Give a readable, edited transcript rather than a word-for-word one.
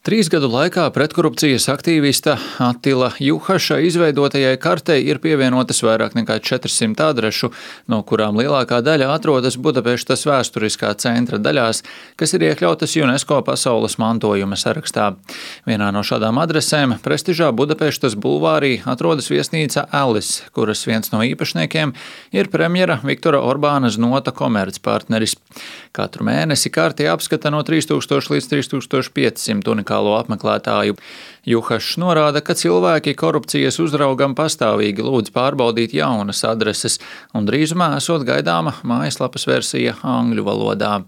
3 gadu laikā pretkorupcijas aktīvista Attila Juhaša izveidotajai kartei ir pievienotas vairāk nekā 400 adrešu, no kurām lielākā daļa atrodas Budapeštas vēsturiskā centra daļās, kas ir iekļautas UNESCO pasaules mantojuma sarakstā. Vienā no šādām adresēm, prestižā Budapeštas bulvārī, atrodas viesnīca Alice, kuras viens no īpašniekiem ir premjera Viktora Orbāna Znota komercpartneris. Katru mēnesi karti apskata no 3000 līdz 3500 unikālo apmeklētāju. Juhašs norāda, ka cilvēki korupcijas uzraugam pastāvīgi lūdz pārbaudīt jaunas adreses, un drīzumā esot gaidāma mājaslapas versija angļu valodā.